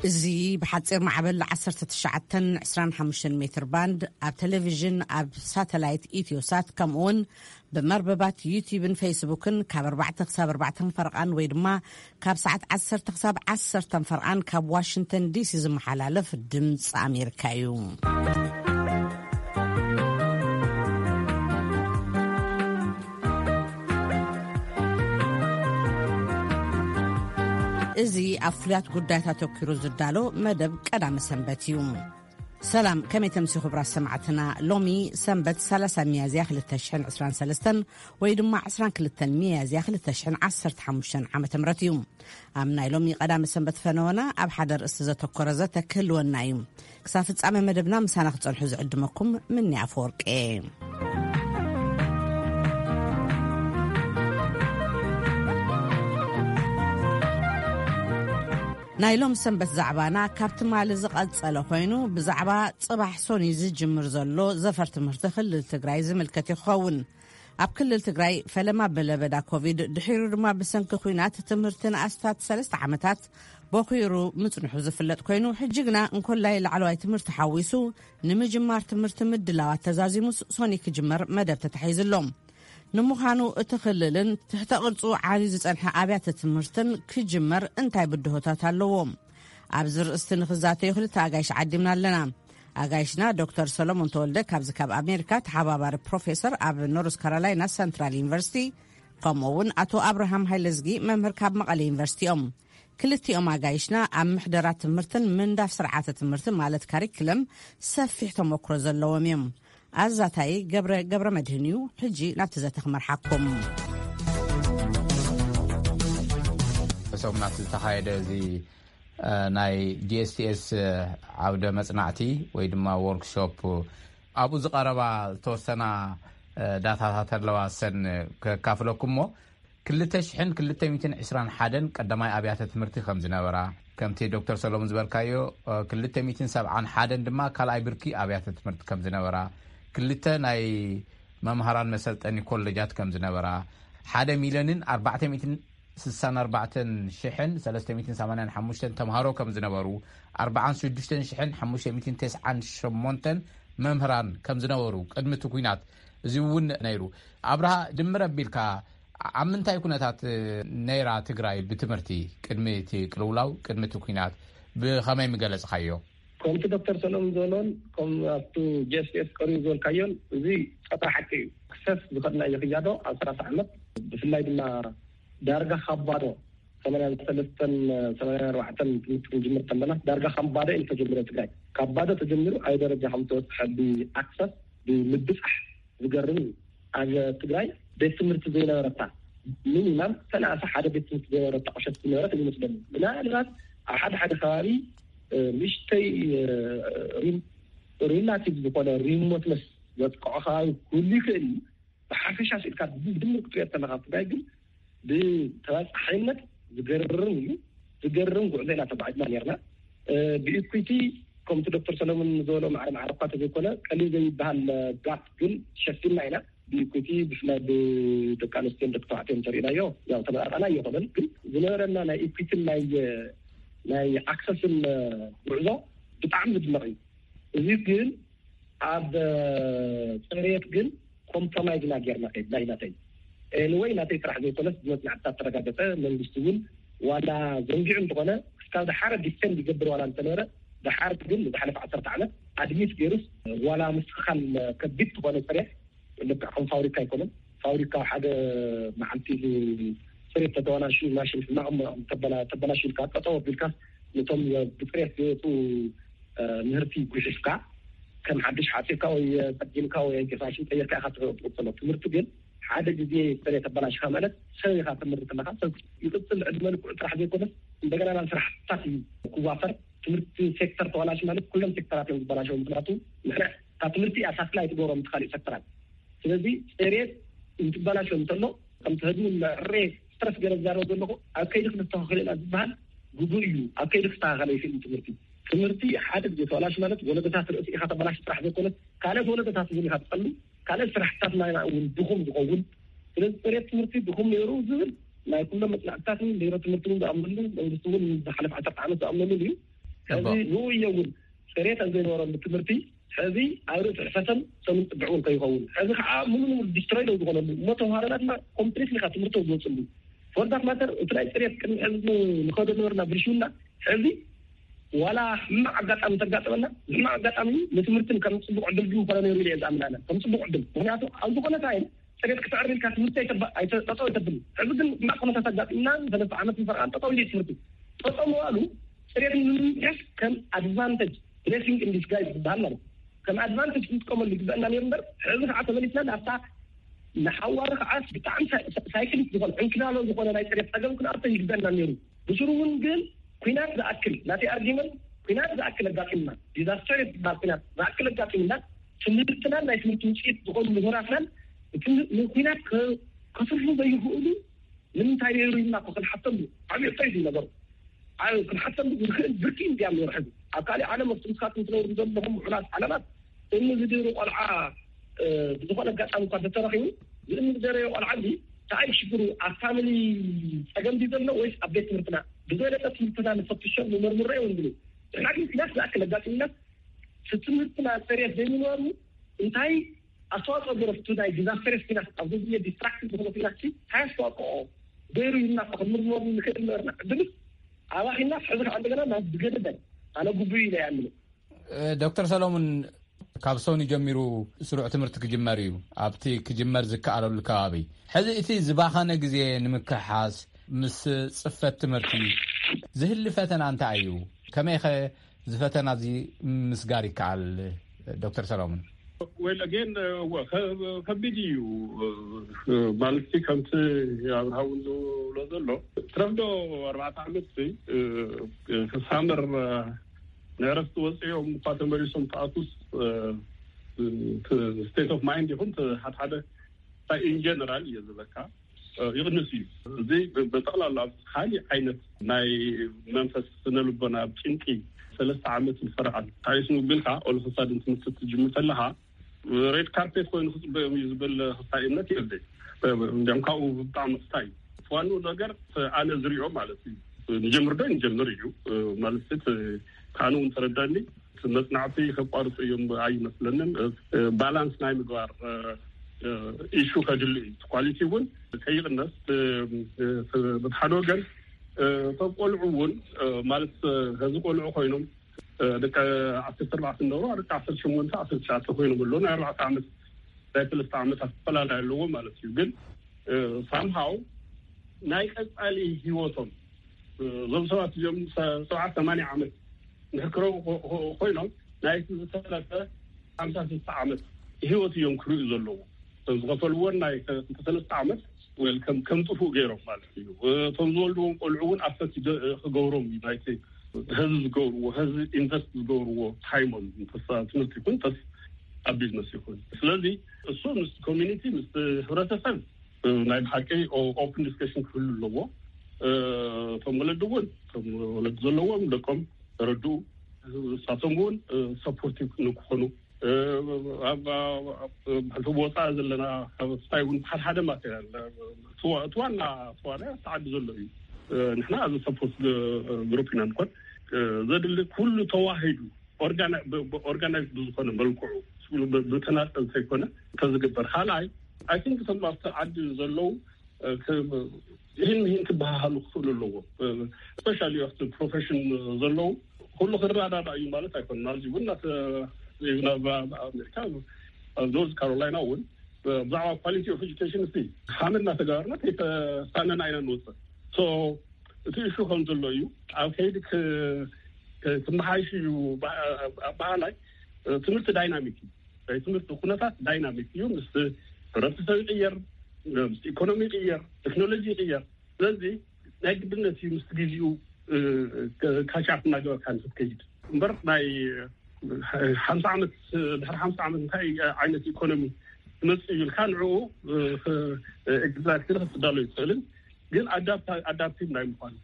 እዚ ብሓጺር ማዕበል ዓሰርተ ትሽዓተ ዕስራን ሓሙሽተን ሜትር ባንድ ኣብ ቴሌቪዥን፣ ኣብ ሳተላይት ኢትዮሳት፣ ከምኡውን ብመርበባት ዩቲዩብን ፌስቡክን ካብ ኣርባዕተ ክሳብ ኣርባዕተ ፈርቓን ወይ ድማ ካብ ሰዓት ዓሰርተ ክሳብ ዓሰርተ ፈርቓን ካብ ዋሽንግተን ዲሲ ዝመሓላለፍ ድምፂ ኣሜሪካ እዩ። እዚ ኣብ ፍሉያት ጉዳያት ኣተኲሩ ዝዳሎ መደብ ቀዳመ ሰንበት እዩ። ሰላም፣ ከመይ ተምሲ ክቡራት ሰማዕትና? ሎሚ ሰንበት ሰላሳ ሚያዝያ ክልተ ሽሕን ዕስራን ሰለስተን ወይ ድማ ዕስራን ክልተን ሚያዝያ ክልተ ሽሕን ዓሰርተ ሓሙሽተን ዓመተ ምህረት እዩ። ኣብ ናይ ሎሚ ቀዳመ ሰንበት ፈነወና ኣብ ሓደ ርእሲ ዘተኮረ ዘተ ክህልወና እዩ። ክሳብ ፍጻመ መደብና ምሳና ክጸንሑ ዝዕድመኩም ምኒ ኣፈወርቂ። ናይ ሎም ሰንበት ዛዕባና ካብ ትማሊ ዝቐጸለ ኮይኑ፣ ብዛዕባ ጽባሕ ሶኒ ዝጅምር ዘሎ ዘፈር ትምህርቲ ክልል ትግራይ ዝምልከት ይኸውን። ኣብ ክልል ትግራይ ፈለማ ብለበዳ ኮቪድ፣ ድሒሩ ድማ ብሰንኪ ኲናት ትምህርቲ ንኣስታት ሰለስተ ዓመታት ቦኺሩ ምጽንሑ ዝፍለጥ ኮይኑ፣ ሕጂ ግና እንኮላይ ላዕለዋይ ትምህርቲ ሓዊሱ ንምጅማር ትምህርቲ ምድላዋት ተዛዚሙስ ሶኒ ክጅመር መደብ ተታሒዙ ኣሎ። ንምዃኑ እቲ ክልልን ትሕተ ቅርጹ ዓብዩ ዝጸንሐ ኣብያተ ትምህርትን ክጅመር እንታይ ብድሆታት ኣለዎ? ኣብዚ ርእስቲ ንኽዛተዩ ክልተ ኣጋይሽ ዓዲምና ኣለና። ኣጋይሽና ዶክተር ሰሎሞን ተወልደ ካብዚ ካብ ኣሜሪካ ተሓባባሪ ፕሮፌሰር ኣብ ኖርዝ ካሮላይና ሰንትራል ዩኒቨርሲቲ፣ ከምኡ እውን ኣቶ ኣብርሃም ሃይለዝጊ መምህር ካብ መቐለ ዩኒቨርሲቲ እዮም። ክልቲኦም ኣጋይሽና ኣብ ምሕደራ ትምህርትን ምንዳፍ ስርዓተ ትምህርቲ ማለት ካሪክለም ሰፊሕ ተመክሮ ዘለዎም እዮም። ኣዛታይ ገብረ፣ ገብረ መድህን እዩ። ሕጂ ናብቲ ዘተ ክመርሓኩም። ሰሙናት ዝተኻየደ እዚ፣ እ፣ ናይ ጂ ኤስ ቲ ኤስ ዓውደ መጽናዕቲ ወይ ድማ ወርክሾፕ፣ ኣብኡ ዝቐረባ ዝተወሰና፣ እ፣ ዳታታት ኣለዋ፣ ሰን ከካፍለኩም እሞ፣ ክልተ ሽሕን ክልተ ሚእትን ዕስራን ሓደን ቀዳማይ ኣብያተ ትምህርቲ ከም ዝነበራ፣ ከምቲ ዶክተር ሰሎሞን ዝበልካዮ፣ እ፣ ክልተ ሚእትን ሰብዓን ሓደን ድማ ካልኣይ ብርኪ ኣብያተ ትምህርቲ ከም ዝነበራ፣ ክልተ ናይ መምሃራን መሰልጠኒ ኮሌጃት ከም ዝነበራ፣ ሓደ ሚልዮንን ኣርባዕተ ሚእትን ስሳን ኣርባዕተን ሽሕን ሰለስተ ሚእትን ሰማንያን ሓሙሽተን ተምሃሮ ከም ዝነበሩ፣ ኣርባዓን ሽዱሽተን ሽሕን ሓሙሽተ ሚእትን ተስዓን ሸሞንተን መምህራን ከም ዝነበሩ ቅድሚ እቲ ኲናት፣ እዚ እውን ነይሩ። ኣብርሃ፣ ድምር ኣቢልካ ኣብ ምንታይ ኩነታት ነይራ ትግራይ ብትምህርቲ ቅድሚ እቲ ቅልውላው፣ ቅድሚ እቲ ኲናት ብኸመይ ምገለጽካዮ? ከምቲ ዶክተር ሰሎሞን ዝበሎን ከም ኣብቱ ጂ ኤስ ቲ ኤስ ቀሪቡ ዝበልካዮን፣ እዚ ጸጥታ ሓቂ እዩ። ክሰስ ዝኸድናዮ ክያዶ ኣብ ሰላሳ ዓመት፣ ብፍላይ ድማ ዳርጋ ካብ ባዶ፣ ሰማንያን ሰለስተን ሰማንያን ኣርባዕተን ትምህርቲ ክንጅምር ከለና፣ ዳርጋ ካብ ባዶ እዩ ተጀሚሩ ትግራይ። ካብ ባዶ ተጀሚሩ ኣብ ደረጃ ከም ተበፅሐ ብኣክሰስ፣ ብምብፃሕ ዝገርም እዩ። ኣብ ትግራይ ቤት ትምህርቲ ዘይነበረታ፣ ሚኒማም ሰላሳ ሓደ ቤት ትምህርቲ ዘይነበረታ ቁሸት ዝነበረት ይመስለኒ። ምናልባት ኣብ ሓደ ሓደ ከባቢ፣ እ፣ ንእሽተይ፣ እ፣ ሪም-፣ ሪላቲቭ ዝኾነ ሪሞትነስ ዘጥቅዖ ከባቢ ክህሉ ይኽእል እዩ። ብሓፈሻ ስኢልካ ብድምር ክትሪኦ ከለኻ፣ ኣብ ትግራይ ግን ብተባፃሓይነት ዝገርም እዩ። ዝገርም ጉዕዞ ኢና ተጓዒዝና ነርና። እ፣ ብኢኩዊቲ፣ ከምቲ ዶክተር ሰለሙን ዝበሎ፣ ማዕረ ማዕረ እኳ ተዘይኮነ፣ ቀሊል ዘይበሃል ጋፕ ግን ሸፊንና ኢና። ብኢኩዊቲ፣ ብፍላይ ብደቂ ኣንስትዮን ደቂ ተባዕትዮን እንተሪእናዮ፣ ያው ተመጣጣኒ ኣይኮነን፣ ግን ዝነበረና ናይ ኢኩዊቲን ናይ፣ ናይ ኣክሰስን ጉዕዞ ብጣዕሚ ዝድነቕ እዩ። እዚ ግን ኣብ፣ እ፣ ፅሬት ግን ኮምፕሮማይዝ ኢና ጌርና ከይድና ኢና። ተይ፣ ኤኒወይ፣ ናተይ ጥራሕ ዘይኮነስ፣ ብመፅናዕትታት ተረጋገፀ። መንግስቲ እውን ዋላ ዘንጊዑ እንተኾነ፣ ክሳብ ደሓረ ዲፌንድ ይገብር ዋላ እንተነበረ፣ ደሓር ግን ንዝሓለፈ ዓሰርተ ዓመት ኣድሚት ገይሩስ፣ ዋላ ምስትኽኻል ከቢድ ዝኾነ ፅሬት፣ ልክዕ ከም ፋብሪካ ኣይኮነን። ፋብሪካ ሓደ መዓልቲ ጽሬት ተተበላሽዩ፣ ማሽን ሕማቕ እሞ ተበላ-፣ ተበላሽዩ ኢልካ ጠጠው ኣቢልካ፣ ነቶም ብጽሬት ዝወጹ፣ እ፣ ምህርቲ ጉሒፍካ፣ ከም ሓድሽ ሓጺርካ ወይ ጸጊምካ ወይ ማሽን ቀይርካ ኢኻ ትቕጽሎ። ትምህርቲ ግን ሓደ ግዜ ጽሬት ተበላሽካ ማለት ሰብ ኢኻ ትምህርቲ ከለኻ፣ ሰብ ይቕጽል፣ ዕድመ ልክዑ ጥራሕ ዘይኮነስ፣ እንደገና ናብ ስራሕታት እዩ ክዋፈር። ትምህርቲ ሴክተር ተበላሽ ማለት ኩሎም ሴክተራት እዮም ዝበላሸው። ምኽንያቱ ንሕና ካብ ትምህርቲ እያ ሳትላይት ትገብሮም እቲ ካልእ ሴክተራት። ስለዚ ጽሬት እንትበላሾ እንተሎ፣ ከምቲ ህዝቢ ንዕሬ ስትረስ ገይረ ዝዛረብ ዘለኹ፣ ኣብ ከይዲ ክስተኻኸል ኢና ዝበሃል ግቡእ እዩ። ኣብ ከይዲ ክስተኻኸል ኣይክእልን ትምህርቲ። ትምህርቲ ሓደ ግዜ ተባላሽ ማለት ወለደታት ርእሲ ኢኻ ተባላሽ ጥራሕ ዘይኮነት፣ ካልኦት ወለደታት እውን ኢኻ ትጸሉ፣ ካልኦት ስራሕትታት ናይና እውን ድኹም ዝኸውን። ስለዚ ጽሬት ትምህርቲ ድኹም ነይሩ ዝብል ናይ ኩሎም መጽናዕትታትን ቢሮ ትምህርቲ እውን ዝኣምነሉ፣ መንግስቲ እውን ዝሓለፈ ዓሰርተ ዓመት ዝኣምነሉ እዩ። ሕዚ ንኡ እየ እውን ጽሬት ኣብ ዘይነበረሉ ትምህርቲ ሕዚ ኣብ ርእሲ ሕፈሰን ሰሙን ጽግዕ እውን ከይኸውን፣ ሕዚ ከዓ ሙሉ ንሙሉ ዲስትሮይ ደው ዝኾነሉ እሞ ተምሃሮና ድማ ኮምፕሊትሊ ካብ ትምህርቶም ዝወፅሉ። ፎር ዳት ማተር እቲ ናይ ጽሬት ቅድሚ ሕዚ ንኸዶ ነበርና ብልሽውና ሕዚ ዋላ ሕማቕ ኣጋጣሚ ተጋጠመና፣ ሕማቕ ኣጋጣሚ ንትምህርትን ከም ጽቡቕ ዕድል ግን ኮነ ነይሩ ኢለ እየ ዝኣምን ኣነ። ከም ጽቡቕ ዕድል፣ ምክንያቱ ኣብ ዝኾነ ታይም ጽሬት ክትዕሪ ኢልካ ትምህርቲ ኣይተባ- ኣይተ- ጠጠው ኣይተብል። ሕዚ ግን ሕማቕ ኩነታት ኣጋጢምና ሰለስተ ዓመት ንፈርቓን ጠጠው ኢለ ትምህርቲ ጠጠው ምባሉ ጽሬት ንምምሕያሽ ከም ኣድቫንቴጅ፣ ብሌሲንግ ኢን ዲስጋይዝ ዝበሃል ማለት ከም ኣድቫንቴጅ ክንጥቀመሉ ይግበአና ነይሩ እምበር፣ ሕዚ ከዓ ተመሊስና ናብታ ንሓዋሩ ከዓ ብጣዕሚ ሳይ- ሳይክሊክ ዝኾነ ዕንክላሎ ዝኾነ ናይ ጽሬት ጸገም ክንኣቶ ይግበአና ነይሩ። ብስሩ እውን ግን ኩናት ዝኣክል ናተይ ኣርጊመንት፣ ኩናት ዝኣክል ኣጋጢምና፣ ዲዛስተር ዝበሃል ኩናት ዝኣክል ኣጋጢምና፣ ትምህርትናን ናይ ትምህርቲ ውፅኢት ዝኾኑ ምሁራትናን እቲ ንኩናት ከ- ከስርሑ ዘይኽእሉ ንምንታይ ነይሩ ኢልና እኮ ክንሓተሉ ዓብዪ ሕቶ እዩ ነገሩ። ኣብ ክንሓተሉ ንኽእል ብርኪ እንዲያም ነይሩ። ሕዚ ኣብ ካሊእ ዓለም ኣብቲ ንስኻትኩም ትነብሩ ዘለኹም ምዑላት ዓለማት እምኒ ዝድህሩ ቆልዓ እ፣ ብዝኾነ ኣጋጣሚ እኳ ተተረኺቡ ብእምኒ ዝደረዮ ቆልዓ እንዲ እንታይ ሽግሩ ኣብ ፋሚሊ ጸገም ድዩ ዘሎ ወይስ ኣብ ቤት ትምህርትና ብዝበለጠ ትምህርትና ንፈትሾ ንመርምሮ እዮም ዝብሉ። ንሕና ግን ኩናት ዝኣክል ኣጋጢሙና እቲ ትምህርትና ጽሬት ዘይምንባሩ እንታይ ኣስተዋፅኦ ገይሩ ኣብቲ ናይ ዲዛስተርስ ኩናት ኣብዚ ግዜ ዲስትራክቲቭ ዝኾነ ኩናት እንታይ ኣስተዋፅኦ ገይሩ ኢልና እኮ ክንምርምረሉ ንኽእል ነበርና። ዕድልስ ኣባኺናስ ሕዚ ከዓ እንደገና ናብ ዝገደደ ኣነ ግቡእ ኢለ እየ ኣምነ። ዶክተር ሰሎሙን ካብ ሰኑ ጀሚሩ ስሩዕ ትምህርቲ ክጅመር እዩ ኣብቲ ክጅመር ዝከኣለሉ ከባቢ። ሕዚ እቲ ዝባኸነ ግዜ ንምክሕሓስ ምስ ጽፈት ትምህርቲ ዝህሊ ፈተና እንታይ እዩ? ከመይኸ ዝፈተና እዚ ምስጋር ይከኣል? ዶክተር ሰሎሙን ወል ኣጌን ከቢድ እዩ ማለት ከምቲ ኣብርሃ እውን ዝብሎ ዘሎ ትረፍዶ ኣርባዕተ ዓመት ሳመር ንዕረፍቲ ወፅኦም እኳ ተመሊሶም ተኣቱስ ስቴት ኦፍ ማይንድ ይኹን ሓደ ሓደ ኢን ጀነራል እየ ዝበካ ይቕንስ እዩ። እዚ ብጠቕላላ ኣብ ካሊእ ዓይነት ናይ መንፈስ ስነ ልቦና ኣብ ጭንቂ ሰለስተ ዓመት ንፈርዓል ታይስ ምብልካ ኦልክሳድን ትምህርቲ ትጅምር ከለካ ሬድ ካርፔት ኮይኑ ክፅበዮም እዩ ዝብል ክስታይ እምነት የብለይ። እንዲያም ካብኡ ብጣዕሚ ክስታይ እዩ። ዋኑ ነገር ኣነ ዝሪኦ ማለት እዩ ንጀምር ዶ ንጀምር እዩ ማለት ካኑ እውን ተረዳኒ። መፅናዕቲ ከቋርፁ እዮም ኣይመስለንን። ባላንስ ናይ ምግባር ኢሹ ከድሉ እዩ። ኳሊቲ እውን ከይቕነስ በቲ ሓደ ወገን እቶም ቆልዑ እውን ማለት ከዚ ቆልዑ ኮይኖም ደቂ ዓሰርተ ኣርባዕተ ነበሩ ደቂ ዓሰርተ ሸሞንተ ዓሰርተ ትሽዓተ ኮይኖም ኣለዉ ናይ ኣርባዕተ ዓመት ናይ ሰለስተ ዓመታት ኣፈላለይ ኣለዎ ማለት እዩ። ግን ሳምሃው ናይ ቀፃሊ ሂወቶም እዞም ሰባት እዚኦም ሰብዓ ሰማንያ ዓመት ንሕክረው ኮይኖም ናይ ዝተረፈ ሓምሳ ስልሳ ዓመት ሂወት እዮም ክርእዩ ዘለዎ። እቶም ዝኸፈልዎን ናይ ሰለስተ ዓመት ወል ከም ከም ጥፉእ ገይሮም ማለት እዩ። እቶም ዝወልድዎም ቆልዑ እውን ኣፈት ክገብሮም እዩ ናይቲ ህዝቢ ዝገብርዎ ህዝቢ ኢንቨስት ዝገብርዎ ታይሞም ተስ ትምህርቲ ይኹን ተስ ኣብ ቢዝነስ ይኹን። ስለዚ እሱ ምስ ኮሚኒቲ ምስ ህብረተሰብ ናይ ብሓቂ ኦፕን ዲስከሽን ክህሉ ኣለዎ። እቶም ወለዲ እውን እቶም ወለዲ ዘለዎም ደቆም ተረድኡ እሳቶም እውን ሰፖርቲቭ ንክኾኑ ብሕልፊ ወፃኢ ዘለና ካብ ስታይ እውን ሓደ ሓደ ማቴሪያል እቲ ዋና ተዋናይ ኣብቲ ዓዲ ዘሎ እዩ። ንሕና እዚ ሰፖርት ግሩፕ ኢና ንኮን ዘድሊ ኩሉ ተዋሂዱ ኦርጋናይዝ ብዝኮነ መልክዑ ብተናጠል ዘይኮነ እንተዝግበር ካልኣይ ኣይ ቲንክ እቶም ኣብቲ ዓዲ ዘለዉ ይህን ምሂን ክበሃሃሉ ክኽእሉ ኣለዎ። ስፔሻሊ ኣብቲ ፕሮፌሽን ዘለዉ ኩሉ ክረዳዳ እዩ ማለት ኣይኮነ። ኣብዚ እውን ኣብ ኣሜሪካ ኣብ ኖርዝ ካሮላይና እውን ብዛዕባ ኳሊቲ ኦፍ ኤጁኬሽን እ ሃመ እናተገበርና ከይተሳነና ኢና ንወፅእ። እቲ ኢሹ ከም ዘሎ እዩ ኣብ ከይዲ ክመሓይሽ እዩ። ኣባሃላይ ትምህርቲ ዳይናሚክ እዩ። ናይ ትምህርቲ ኩነታት ዳይናሚክ እዩ። ምስ ሕብረተሰብ ይቅየር፣ ምስ ኢኮኖሚ ይቅየር፣ ቴክኖሎጂ ይቅየር። ስለዚ ናይ ግድነት እዩ ምስ ግዜኡ ካቻፕ እናገበርካ ንክትከይድ እምበር ናይ ሓምሳ ዓመት ድሕሪ ሓምሳ ዓመት እንታይ ዓይነት ኢኮኖሚ ትመፅእ እዩ ኢልካ ንዕኡ ኤግዛክትሊ ክትዳሎ ይትኽእልን ግን ኣዳፕቲቭ ናይ ምኳን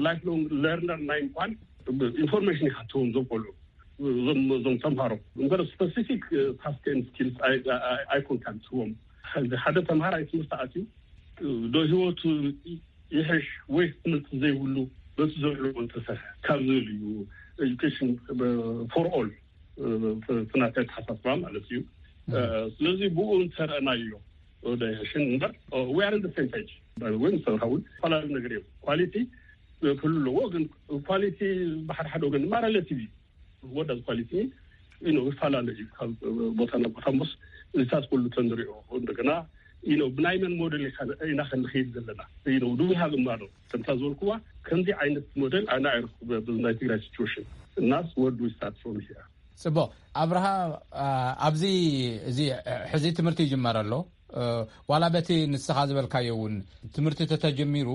ላይፍ ሎንግ ለርነር ናይ ምኳን ኢንፎርሜሽን ይሓትዎም፣ እዞም ቆልዑ፣ እዞም እዞም ተምሃሮ። እምበር ስፐሲፊክ ታስክ ኤንድ ስኪልስ ኣይኮንካን ትህቦም። ሕዚ ሓደ ተምሃራይ ትምህርቲ ኣትዩ ዶ ህይወቱ ይሕሽ ወይስ ትምህርቲ ዘይብሉ በቲ ዘለዎ እንተሰርሐ ካብ ዝብል እዩ። ኤጁኬሽን ፎር ኦል፣ እቲ ናተይ ኣተሓሳስባ ማለት እዩ። ስለዚ ብኡ እንተረእናዮ ዶ ይሕሽን እምበር፣ we are in the same page። ወይ ምስ ተምሃራይ እውን ዝተፈላለዩ ነገር እዮም። ኳሊቲ ክህሉ ኣለዎ፣ ግን ኳሊቲ ብሓደ ሓደ ወገን ድማ ሬሌቲቭ እዩ። ወዳዝ ኳሊቲ ይፈላለ እዩ ካብ ቦታ ናብ ቦታ። እምበስ እዚታት ኩሉ ተንሪኦ እንደገና ብናይ መን ሞዴል ኢና ክንኸይድ ዘለና? ዱ ሃብ እማዶ ከምታ ዝበልኩዋ ከምዚ ዓይነት ሞዴል ኣነ ኣይረክብ ናይ ትግራይ ሲቹዌሽን እናስ ወዱ ስታት ፎርም ሂር። ጽቡቕ። ኣብርሃ፣ ኣብዚ፣ እዚ ሕዚ ትምህርቲ ይጅመር ኣሎ። ዋላ በቲ ንስኻ ዝበልካዮ እውን ትምህርቲ ተተጀሚሩ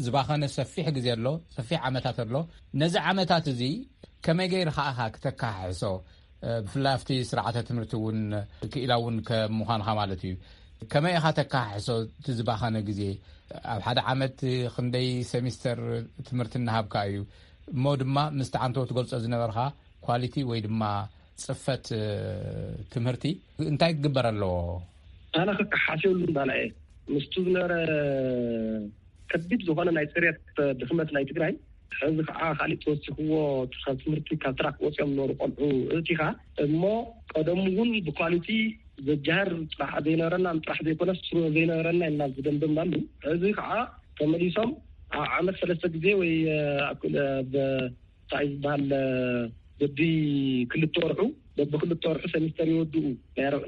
ዝባኸነ ሰፊሕ ግዜ ኣሎ፣ ሰፊሕ ዓመታት ኣሎ። ነዚ ዓመታት እዚ ከመይ ገይርካ ኢኻ ክተካሕሶ? ብፍላይ ኣብቲ ስርዓተ ትምህርቲ እውን ክኢላ እውን ከም ምዃንካ ማለት እዩ። ከመይ ኢኻ ተካሕሶ እቲ ዝባኸነ ግዜ? ኣብ ሓደ ዓመት ክንደይ ሰሚስተር ትምህርቲ እናሃብካ እዩ? እሞ ድማ ምስቲ ዓንተዎ ትገልጾ ዝነበርካ ኳሊቲ ወይ ድማ ጽፈት ትምህርቲ እንታይ ክግበር ኣለዎ? ኣነ ክከሓስ የብሉን ባላ እየ። ምስቱ ዝነበረ ከቢድ ዝኾነ ናይ ፅሬት ድኽመት ናይ ትግራይ፣ ሕዚ ከዓ ካሊእ ተወሲኽዎ ካብ ትምህርቲ ካብ ትራክ ወፂኦም ዝነበሩ ቆልዑ እቲኻ እሞ ቀደሙ እውን ብኳሊቲ ዘጃህር ጥራሕ ዘይነበረና ጥራሕ ዘይኮነስ ስሩ ዘይነበረና ኢልና ዝደምደምናሉ። ሕዚ ከዓ ተመሊሶም ኣብ ዓመት ሰለስተ ግዜ ወይ እንታይ ዝበሃል በቢ ክልተ ወርሑ በቢ ክልተ ወርሑ ሰሚስተር ይወድኡ።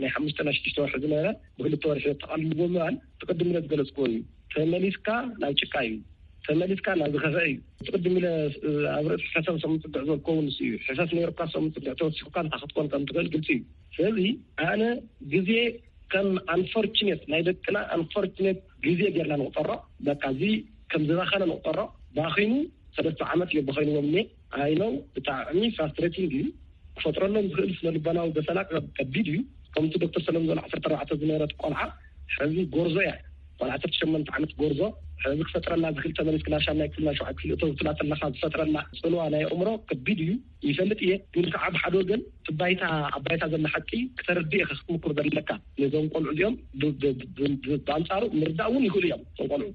ናይ ሓሙሽተ ናይ ሽዱሽተ ወርሒ ዝነበረ ብክልተ ወርሒ የጠቃልልዎ ምባል ትቅድም ኢለ ዝገለፅክዎ እዩ። ተመሊስካ ናብ ጭቃ እዩ። ተመሊስካ ናብ ዝኸፈ እዩ። ትቅድም ኢለ ኣብ ርእሲ ሕሰብ ሰሙን ፅግዕ ዘልከውን ንሱ እዩ። ሕሰብ ነይሩካ ሰሙን ፅግዕ ተወሲኩካ እንታይ ክትኮን ከም ትኽእል ግልፂ እዩ። ስለዚ ኣነ ግዜ ከም ኣንፎርችኔት ናይ ደቅና ኣንፎርችኔት ግዜ ጌርና ንቁጠሮ። በቃ እዚ ከም ዝባኸነ ንቁጠሮ። ባኺኑ ሰለስተ ዓመት እዮም ባኺንዎም እኔ። ኣይ ኖው ብጣዕሚ ፍራስትሬቲንግ እዩ። ክፈጥረሎም ዝኽእል ስነ ልቦናዊ በሰላ ከቢድ እዩ። ከምቲ ዶክተር ሰለሙን ዝበሎ ዓሰርተ ኣርባዕተ ዝነበረት ቆልዓ ሕዚ ጎርዞ እያ። ቆልዓ ዓሰርተ ሸሞንተ ዓመት ጎርዞ ሕዚ ክፈጥረላ ዝኽእል ተመሊስ ክላሻ ናይ ክፍልና ሸውዓይ ክፍሊ እተው ትላ ተለኻ ዝፈጥረላ ጽልዋ ናይ ኣእምሮ ከቢድ እዩ። ይፈልጥ እየ ግን ከዓ ብሓደ ወገን ትባይታ ኣባይታ ዘላ ሓቂ ክተርድእ ኢኻ ክትምኩር ዘለካ። ነዞም ቆልዑ እዚኦም ብኣንጻሩ ምርዳእ እውን ይኽእሉ እዮም። እዞም ቆልዑ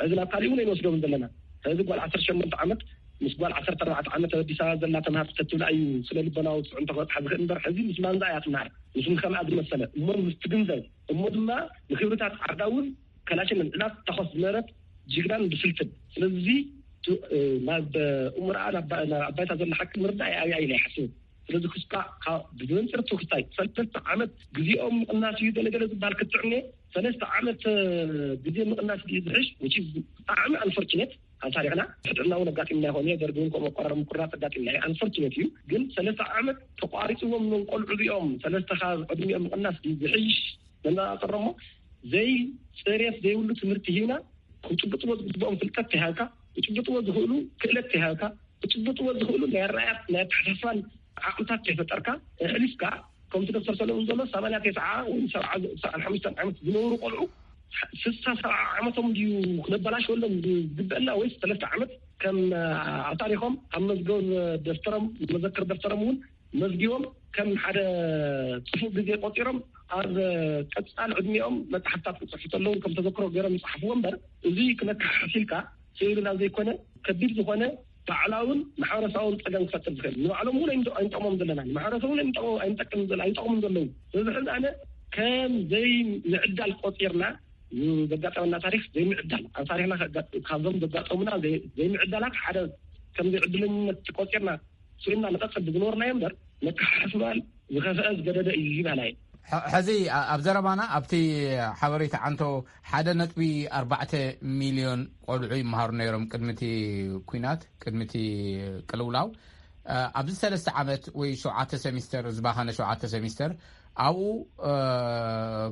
ሕዚ ናብ ካሊእ እውን ኣይንወስዶም ዘለና። ሕዚ ጓል ዓሰርተ ሸሞንተ ዓመት ምስ ጓል ዓሰርተ ኣርባዕተ ዓመት ኣብ ኣዲስ ኣበባ ዘላ ተምሃር ተትብላ እዩ ስነ ልቦናዊ ፅዕንቶ ክበፅሓ ዝኽእል እምበር ሕዚ ምስ ማንዛ እያ ትምሃር። ምስ ከምኣ ዝመሰለ እሞ ምስ ትግንዘብ እሞ ድማ ንክብርታት ዓዳ እውን ከላሽን እናተኮስ ዝነበረት ጅግናን ብስልትን። ስለዚ ናብ እምርኣ ናብ ኣባይታ ዘሎ ሓቂ ምርዳእ ኣብያ ኢለ ይሓስብ። ስለዚ ክስካ ብመንፅር ትውክታይ ሰለስተ ዓመት ግዜኦም ምቕናስ እዩ ገለገለ ዝበሃል ክትዕነ ሰለስተ ዓመት ግዜ ምቕናስ ድዩ ዝሕሽ? ብጣዕሚ ኣንፎርችኔት ኣብ ታሪክና ሕጥዕና እውን ኣጋጢምና ይኾን ደርግ እውን ከምኡ ኣቆራር ምቁራፅ ኣጋጢምና እዩ። ኣንፎርችኔት እዩ ግን ሰለስተ ዓመት ተቋሪፅዎም ኖም ቆልዑ እዚኦም ሰለስተ ካብ ዕድሚኦም ምቕናስ ድዩ ዝሕሽ? መነፃፀሮሞ ዘይፅሬት ዘይብሉ ትምህርቲ ሂብና ክጭብጥዎ ዝግብኦም ፍልጠት ተሃብካ ክጭብጥዎ ዝኽእሉ ክእለት ተሃብካ ክጭብጥዎ ዝኽእሉ ናይ ኣረኣያት ናይ ኣተሓሳስባን ዓቕምታት ከይፈጠርካ ኣሕሊፍካ ከምቲ ዶክተር ሰለሙን ዘሎ ሰማንያ ተስዓ ወይ ሰብዓ ሓሙሽተ ዓመት ዝነበሩ ቆልዑ ስሳ ሰብዓ ዓመቶም ድዩ ክነበላሸወሎም ዝግበአና ወይስ ሰለስተ ዓመት ከም ኣታሪኾም ኣብ መዝገብ ደፍተሮም መዘክር ደፍተሮም እውን መዝጊቦም ከም ሓደ ፅፉእ ግዜ ቆፂሮም ኣብ ቀፃል ዕድሚኦም መፅሓፍታት ክፅሕፉ ከለዉ ከም ተዘክሮ ገይሮም ይፅሓፍዎ እምበር እዚ ክነካሓሲልካ ስእልና ዘይኮነ ከቢድ ዝኾነ ባዕላውን ማሕበረሰባውን ፀገም ክፈጥር ዝኽእል ንባዕሎም እውን ኣይንጠቅሞም ዘለና ንማሕበረሰብ እውን ኣይንጠቅምን ዘለዉ እዚ ሕዚ ኣነ ከም ዘይምዕዳል ቆፂርና ዘጋጠመና ታሪክ ዘይምዕዳል ኣብ ታሪክና ካብዞም ዘጋጠሙና ዘይምዕዳላት ሓደ ከም ዘይዕድለኝነት ቆፂርና ስእልና ንቀፅል ብዝነበርናዮ እምበር መከሓሕስ ምባል ዝኸፍአ ዝገደደ እዩ ይባላ እየ። ሕዚ ኣብ ዘረባና ኣብቲ ሓበሬታ ዓንቶ ሓደ ነጥቢ ኣርባዕተ ሚልዮን ቆልዑ ይመሃሩ ነይሮም ቅድሚቲ ኩናት ቅድሚቲ ቅልውላው ኣብዚ ሰለስተ ዓመት ወይ ሸውዓተ ሰሚስተር ዝባኸነ ሸውዓተ ሰሚስተር ኣብኡ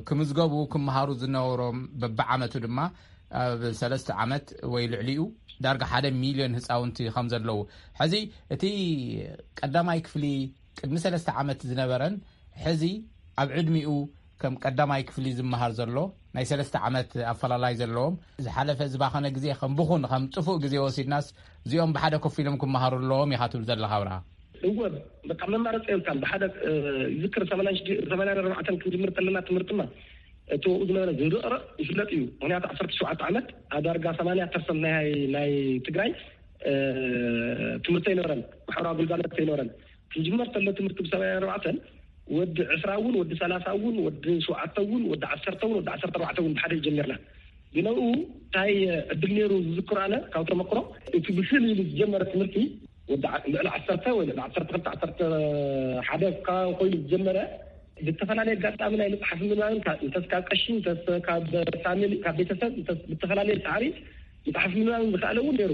ክምዝገቡ ክመሃሩ ዝነበሮም በብዓመቱ ድማ ኣብ ሰለስተ ዓመት ወይ ልዕሊኡ ዳርጋ ሓደ ሚልዮን ህፃውንቲ ከም ዘለዉ ሕዚ እቲ ቀዳማይ ክፍሊ ቅድሚ ሰለስተ ዓመት ዝነበረን ሕዚ ኣብ ዕድሚኡ ከም ቀዳማይ ክፍሊ ዝመሃር ዘሎ፣ ናይ ሰለስተ ዓመት ኣፈላላይ ዘለዎም፣ ዝሓለፈ ዝባኸነ ግዜ ከም ብኹን፣ ከም ጥፉእ ግዜ ወሲድናስ፣ እዚኦም ብሓደ ኮፍ ኢሎም ክመሃሩ ኣለዎም ኢኻ ትብል ዘለኻ ኣብርሃ? እወ፣ በቃ መማረፂ የብልካን። ብሓደ፣ እ፣ ይዝክር ሰማንያን ሽዱሽተ፣ ሰማንያን ኣርባዕተን ክንጅምር ከለና ትምህርትና፣ እቲ ኣብኡ ዝነበረ ዝንርቕርቕ ይፍለጥ እዩ። ምኽንያቱ ዓሰርተ ሸውዓተ ዓመት፣ ኣብ ዳርጋ ሰማንያ ፐርሰንት ናይ፣ ናይ ትግራይ፣ እ፣ ትምህርቲ ኣይነበረን፣ ማሕበራዊ ግልጋሎት ኣይነበረን። ክንጅመር ከሎ ትምህርቲ ብሰማንያን ኣርባዕተን፣ ወዲ ዕስራ እውን፣ ወዲ ሰላሳ እውን፣ ወዲ ሸውዓተ እውን፣ ወዲ ዓሰርተ እውን፣ ወዲ ዓሰርተ ኣርባዕተ እውን ብሓደ ጀሚርና። ግን ኣብኡ እንታይ ዕድል ነይሩ ዝዝክሮ ኣነ ካብ ተመክሮ፣ እቲ ብስል ኢሉ ዝጀመረ ትምህርቲ ወዲ ዓ-፣ ልዕሊ ዓሰርተ ወይ ልዕሊ ዓሰርተ ክልተ፣ ዓሰርተ ሓደ ካብ ኮይኑ ዝጀመረ፣ ብዝተፈላለየ ኣጋጣሚ ናይ መፅሓፍ ምንባብን፣ ካ-፣ እንተስ ካብ ቀሺ፣ እንተስ ካብ ፋሚሊ፣ ካብ ቤተሰብ፣ እንተስ ብዝተፈላለየ ፃዕሪ መፅሓፍ ምንባብን ዝኸኣለ እውን ነይሩ።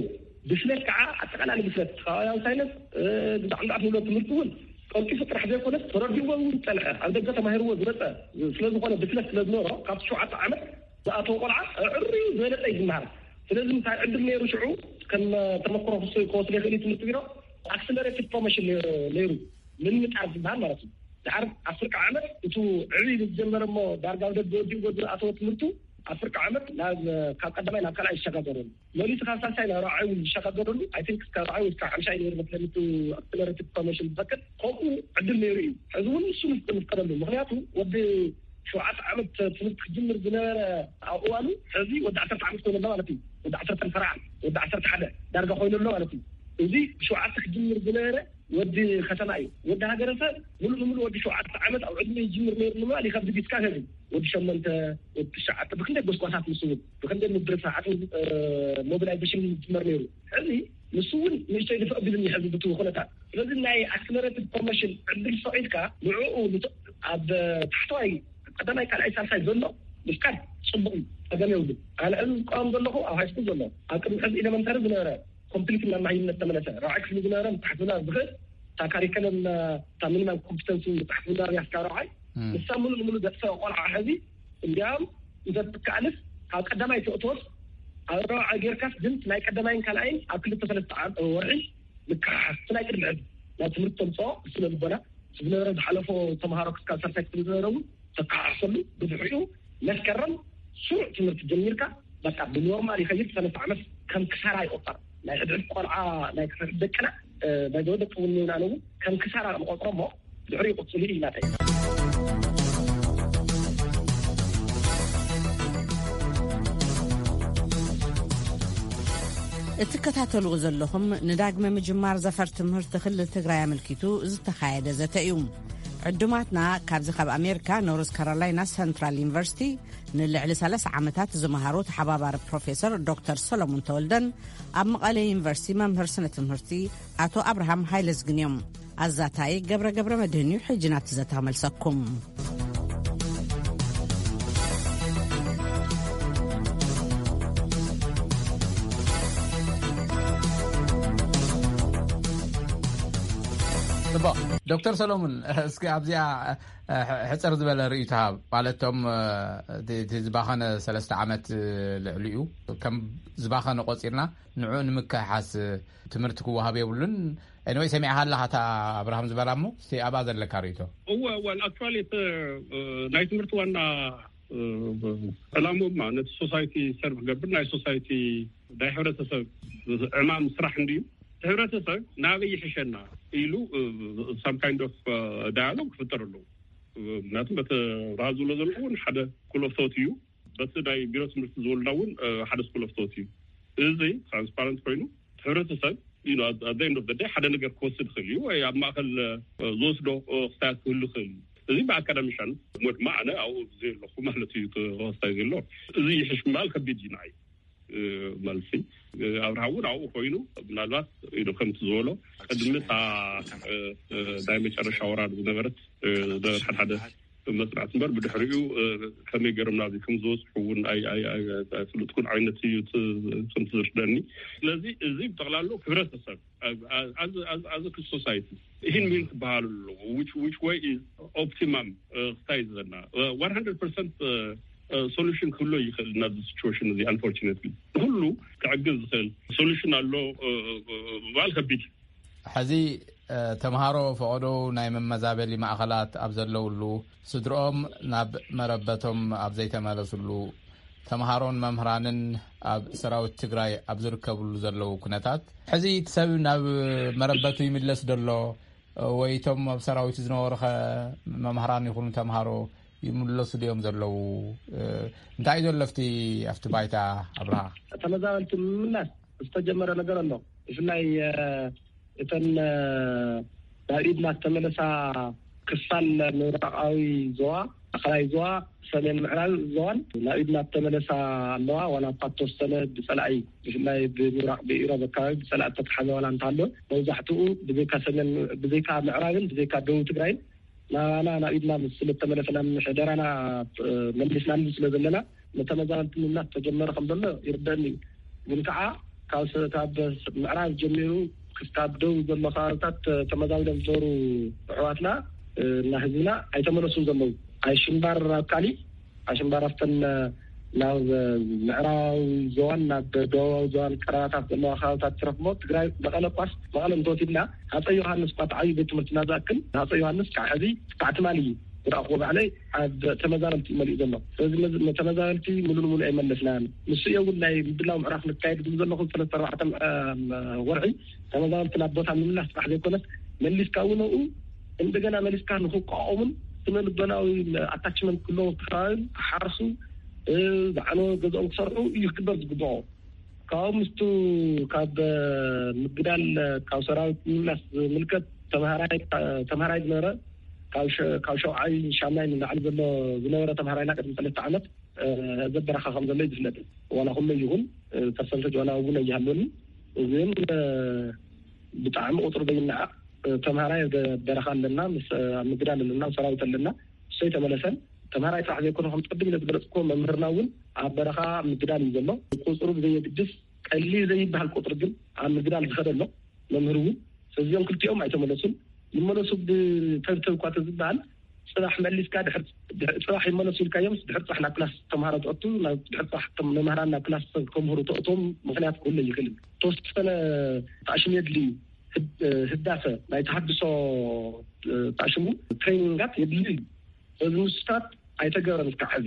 ብስለት ከዓ፣ ኣጠቓላሊ ብስለት፣ ከባብያዊ ሳይንስ፣ እ፣ ብዛዕባ ንብሎ ትምህርቲ እውን ቀልጢፉ ጥራሕ ዘይኮነስ ተረዲእዎ እውን ዝፀንሐ፣ ኣብ ደገ ተማሂርዎ ዝመፀ ስለ ዝኾነ፣ ብስለት ስለ ዝነበሮ፣ ካብቲ ሸውዓተ ዓመት ዝኣተወ ቆልዓ ኣዕርዩ ዝበለፀ እዩ ዝመሃር። ስለዚ እንታይ ዕድል ነይሩ ሽዑ፣ ከም ተመክሮ ክስ-፣ ክወስድ ይኽእል እዩ ትምህርቲ ቢሮ፣ ኣክስለሬትድ ፕሮሞሽን ነይሩ፣ ምምጣር ዝበሃል ማለት እዩ። ድሓር ኣብ ፍርቂ ዓመት፣ እቱ ዕብይ ዝጀመረ እሞ ዳርጋ ኣብ ደገ ወዲኡ ጎድኑ ኣተወ ትምህርቱ፣ ኣብ ፍርቂ ዓመት ናብ፣ ካብ ቀዳማይ ናብ ካልኣይ ይሸጋገረሉ። መሊሱ ካብ ሳልሳይ ናብ ራብዓይ እውን ዝሸጋገረሉ፣ ኣይ ቲንክ እስከ ራብዓይ ወይ እስከ ሓምሻይ ነይሩ መስለኒ፣ እቲ ኣክስለሬትድ ፕሮሞሽን ዝፈቅድ፣ ከምኡ ዕድል ነይሩ እዩ። ሕዚ እውን ንሱ ንፍቀደሉ። ምኽንያቱ ወዲ ሸውዓተ ዓመት ትምህርቲ ክጅምር ዝነበረ ኣብ እዋኑ፣ ሕዚ ወዲ ዓሰርተ ዓመት ኮይኑ ኣሎ ማለት እዩ። ወዲ ዓሰርተ ፈረዓ፣ ወዲ ዓሰርተ ሓደ ዳርጋ ኮይኑ ኣሎ ማለት እዩ። እዚ ብሸውዓተ ክጅምር ዝነበረ ወዲ ከተማ እዩ። ወዲ ሃገረሰብ ሙሉ ንሙሉ ወዲ ሸውዓተ ዓመት ኣብ ዕድመ ይጅምር ነይሩ ንምባል ይኸብድ እዩ። እስካብ ሕዚ ወዲ ሸሞንተ፣ ወዲ ትሽዓተ፣ ብክንደይ ጎስጓሳት ምስ እውን፣ ብክንደይ ምድሪ ሰዓት፣ እ፣ ሞቢላይዜሽን ይጅመር ነይሩ። ሕዚ ንሱ እውን ንእሽተይ ድፍእ ኣቢሉኒ ሕዚ ብቲ ኩነታት። ስለዚ ናይ ኣክስለሬትድ ፕሮሞሽን ዕድል ፈቒድካ ንዕኡ ንት-፣ ኣብ ታሕተዋይ ቀዳማይ ካልኣይ ሳልሳይ ዘሎ ምፍቃድ ጽቡቕ እዩ፣ ጸገም የብሉን። ኣነ ሕዚ ዝቃወም ዘለኹ ኣብ ሃይስኩል ዘሎ፣ ኣብ ቅድሚ ሕዚ ኤሌመንተሪ ዝነበረ ኮምፕሊት ናብ መሃይምነት ተመለሰ። ራብዓይ ክፍሊ ዝነበረ ምትሓት ምንባብ ዝኽእል፣ እታ ካሪከለም፣ እታ ሚኒማም ኮምፒተንሲ ምትሓት ምንባብ እያ እስካብ ራብዓይ። እም። ንሳ ሙሉ ንሙሉ ዘጥፈአ ቆልዓ ሕዚ እንዲያውም እንተትከኣልስ ካብ ቀዳማይ ተእትወስ ኣብ ራብዓይ ጌርካስ ግን ናይ ቀዳማይን ካልኣይን ኣብ ክልተ ሰለስተ ዓም-፣ ወርሒ ምክሓሓስ፣ እቲ ናይ ቅድሚ ሕዚ ናብ ትምህርቲ ተምፅኦ ስነ ልቦና ዝነበረ ዝሓለፎ ተምሃሮ ክስካብ ሳልሳይ ክፍሊ ዝነበረ እውን ተከሓሕሰሉ። ብድሕሪኡ መስከረም ስሩዕ ትምህርቲ ጀሚርካ በቃ ብኖርማል ይኸይድ። ሰለስተ ዓመት ከም ክሳራ ይቆጠር። ናይ ሕድሕድ ቆልዓ ናይ ሕድሕድ ደቅና፣ እ፣ ናይ ደቂ እውን ነይና እውን ከም ክሳራ ንቆጥሮ እሞ ድሕሪኡ ይቕፅሉ እዩ ናተይ። እትከታተልዎ ዘለኹም ንዳግመ ምጅማር ዘፈር ትምህርቲ ክልል ትግራይ ኣመልኪቱ ዝተኻየደ ዘተ እዩ። ዕዱማትና ካብዚ ካብ ኣሜሪካ ኖርዝ ካሮላይና ሰንትራል ዩኒቨርሲቲ ንልዕሊ ሰላሳ ዓመታት ዝመሃሩ ተሓባባሪ ፕሮፌሰር ዶክተር ሰሎሞን ተወልደን ኣብ መቐለ ዩኒቨርሲቲ መምህር ስነ ትምህርቲ ኣቶ ኣብርሃም ሃይለዝግን እዮም። ኣዛታይ ገብረ ገብረ መድህን እዩ። ሕጂ ናብቲ ዘተ ክመልሰኩም። ጽቡቕ። ዶክተር ሰሎሙን፣ እስኪ ኣብዚኣ፣ እ፣ ሕጽር ዝበለ ርእይቶ ሃብ። ማለት፣ እቶም፣ እ፣ እቲ፣ እቲ ዝባኸነ ሰለስተ ዓመት፣ እ፣ ልዕሊኡ ከም ዝባኸነ ቆጺርና፣ ንዕኡ ንምክሕሓስ፣ እ፣ ትምህርቲ ክወሃብ የብሉን። ኤኒወይ፣ ሰሚዕኻ ኣለኻ እታ ኣብርሃም ዝበላ እሞ፣ እስቲ ኣብኣ ዘለካ ርእይቶ። እወ፣ እወ፣ ኣክቹዋሊ፣ እቲ፣ እ፣ ናይ ትምህርቲ ዋና፣ እ፣ ዕላምኡማ ነቲ ሶሳይቲ ሰርቭ ክገብር፣ ናይ ሶሳይቲ ናይ ሕብረተሰብ ዕማም ስራሕ እንድዩ። እቲ ሕብረተሰብ ናበይ ይሕሸና ኢሉ፣ እ፣ ሳም ካይንድ ኦፍ፣ እ፣ ዳያሎግ ክፍጠር ኣለዎ። ምክንያቱም በቲ ኣብርሃ ዝብሎ ዘሎ እውን ሓደ ስኩል ኦፍ ቶት እዩ። በቲ ናይ ቢሮ ትምህርቲ ዝወልና እውን፣ እ፣ ሓደ ስኩል ኦፍ ቶት እዩ። እዚ ትራንስፓረንት ኮይኑ፣ እቲ ሕብረተሰብ፣ you know, at the end of the day ሓደ ነገር ክወስድ ይኽእል እዩ፣ ወይ ኣብ ማእከል፣ እ፣ ዝወስዶ፣ እ፣ ክስታያት ክህሉ ይኽእል እዩ። እዚ ብኣካዳሚሻን፣ እሞ ድማ ኣነ ኣብኡ ዘየለኹ ማለት እዩ፣ እቲ ክስታይ ዘሎ። እዚ ይሕሽ ምባል ከቢድ እዩ ንዓይ። እ፣ መልሲ፣ እ፣ ኣብርሃ እውን ኣብኡ ኮይኑ፣ ምናልባት፣ you know፣ ከምቲ ዝበሎ፣ ቅድሚ እታ፣ እ፣ እ፣ ናይ መጨረሻ ወራር ዝነበረት፣ እ፣ ዝነበረ ሓደ ሓደ መጽናዕቲ እምበር፣ ብድሕሪኡ፣ እ፣ ከመይ ገይሮም ናብዚ ከም ዝበጽሑ እውን ኣይ-፣ ኣይ-፣ ኣይ-፣ ኣይፍልጥኩን ዓይነት እዩ እቲ፣ ከምቲ ዝርደኒ። ስለዚ እዚ ብጠቕላሉ ክብረተሰብ፣ ኣ-፣ ኣ-፣ ኣዝ-፣ ኣዝ-፣ ኣዝ ሶሳይቲ ይህን ሚን ክበሃሉ ኣለዎ። Which፣ which way is optimum፣ እ፣ ክታይ ዘለና፣ እ፣ one hundred percent፣ እ፣ እ፣ ሶሉሽን ክህሎ ይኽእል ናብዚ ሲቹዌሽን እዚ። Unfortunately፣ ንኹሉ ክዕግዝ ዝኽእል ሶሉሽን ኣሎ፣ እ፣ እ፣ እ፣ ምባል ከቢድ እዩ። ሕዚ ተምሃሮ ፈቐዶ ናይ መመዛበሊ ማእኸላት ኣብ ዘለውሉ፣ ስድርኦም ናብ መረበቶም ኣብ ዘይተመለስሉ፣ ተምሃሮን መምህራንን ኣብ ሰራዊት ትግራይ ኣብ ዝርከብሉ ዘለዉ ኩነታት፣ ሕዚ እቲ ሰብ ናብ መረበቱ ይምለስ ደሎ? ወይ እቶም ኣብ ሰራዊት ዝነበሩ ኸ መምህራን ይኹኑ ተምሃሮ ይምለሱ ድዮም ዘለዉ? እንታይ እዩ ዘሎ ኣብቲ ኣብቲ ባይታ ኣብርሃ? ተመዛበልቲ ንምምላስ ዝተጀመረ ነገር ኣሎ። ብፍላይ እተን ናብ ኢድና ዝተመለሳ ክፋል ምብራቓዊ ዞባ፣ ማእኸላይ ዞባ፣ ሰሜን ምዕራብ ዞባን ናብ ኢድና ዝተመለሳ ኣለዋ። ዋላ እኳ እተወሰነ ብፀላኢ፣ ብፍላይ ብምብራቕ ብኢሮብ ኣካባቢ ብፀላኢ ዝተተሓዘ ዋላ እንተሃለወ፣ መብዛሕትኡ ብዘይካ ሰሜን፣ ብዘይካ ምዕራብን ብዘይካ ደቡብ ትግራይን ናባና ናብ ኢድና ምስ ስለተመለሰ፣ ናብ ሕደራና መሊስናሉ ስለ ዘለና፣ ንተመዛበልቲ ምምላስ ተጀመረ ከም ዘሎ ይርደእኒ እዩ። ግን ከዓ ካብ ስ- ካብ ምዕራብ ጀሚሩ ክሳብ ደቡብ ዘሎ ከባብታት ተመዛቢሎም ዝነበሩ ኣሕዋትና እና ህዝብና ኣይተመለሱን ዘለዉ። ኣይሽምባር ኣብ ካሊ፣ ኣይሽምባር ኣብተን ናብ ምዕራባዊ ዞባን ናብ ደቡባዊ ዞባን ቀረባታት ዘለዋ ከባብታት ትረኽቦ። ትግራይ መቐለ ኳስ፣ መቐለ እንተወሲድና፣ ሃፀይ ዮሃንስ እኳ ተዓብዩ ቤት ትምህርትና ዝኣክል፣ ሃፀይ ዮሃንስ ካብ ሕዚ ክሳዕ ትማሊ ዝረኣኽዎ ባዕለይ ኣብ ተመዛበልቲ እዩ መሊኡ ዘሎ። ስለዚ ነዚ ተመዛበልቲ ሙሉ ንሙሉ ኣይመለስናን። ንሱ እየ እውን ናይ ምድላው ምዕራፍ ንካየድ ዝብል ዘለኹ ሰለስተ ኣርባዕተ ወርሒ ተመዛበልቲ ናብ ቦታ ምምላስ ጥራሕ ዘይኮነስ፣ መሊስካ እውን ኣብኡ እንደገና መሊስካ ንክቋቋሙን ስነ ልቦናዊ ኣታችመንት ክህልዎም፣ ክሓርሱ፣ ዝዓነወ ገዛኦም ክሰርሑ እዩ ክግበር ዝግብኦ። ካብኡ ምስቱ ካብ ምግዳል፣ ካብ ሰራዊት ምምላስ ዝምልከት፣ ተምሃራይ ዝነበረ፣ ካብ ሸውዓይ ሻምናይ ንላዕሊ ዘሎ ዝነበረ ተምሃራይና ቅድሚ ሰለስተ ዓመት ዘበረኻ ከም ዘሎ እዩ ዝፍለጥ። ዋላ ኩሎ ይኹን ፐርሰንተጅ ዋላ እውን ኣይሃለኒ፣ ግን ብጣዕሚ ቁፅሩ ዘይነዓቕ ተምሃራይ በረኻ ኣለና፣ ኣብ ምግዳል ኣለና፣ ሰራዊት ኣለና። እሱ ኣይተመለሰን። ተምሃራይ ጥራሕ ዘይኮነ፣ ከም ቅድም ኢለ ዝገለፅኩዎ፣ መምህርና እውን ኣብ በረኻ ኣብ ምግዳል እዩ ዘሎ። ቁፅሩ ብዘየግድስ ቀሊል ዘይበሃል ቁፅሪ ግን ኣብ ምግዳል ዝኸደ ኣሎ፣ መምህር እውን። ስለዚኦም ክልቲኦም ኣይተመለሱን። ይመለሱ ብተብተብ እኳ ተዝበሃል፣ ፅባሕ መሊስካ ድሕር ፅባሕ ይመለሱ ኢልካዮም፣ ድሕር ፅባሕ ናብ ክላስ ተምሃሮ ተእቱ፣ ድሕር ፅባሕ መምህራን ናብ ክላስ ከምህሩ ተእቶም ምክንያት ክህሉ ይኽእል። ተወሰነ ታሽም የድልዩ። ህዳሰ ናይ ተሃድሶ ታሽሙ ትሬኒንጋት የድልዩ እዩ። በዚ ምስታት ኣይተገበረን እስካብ ሕዚ።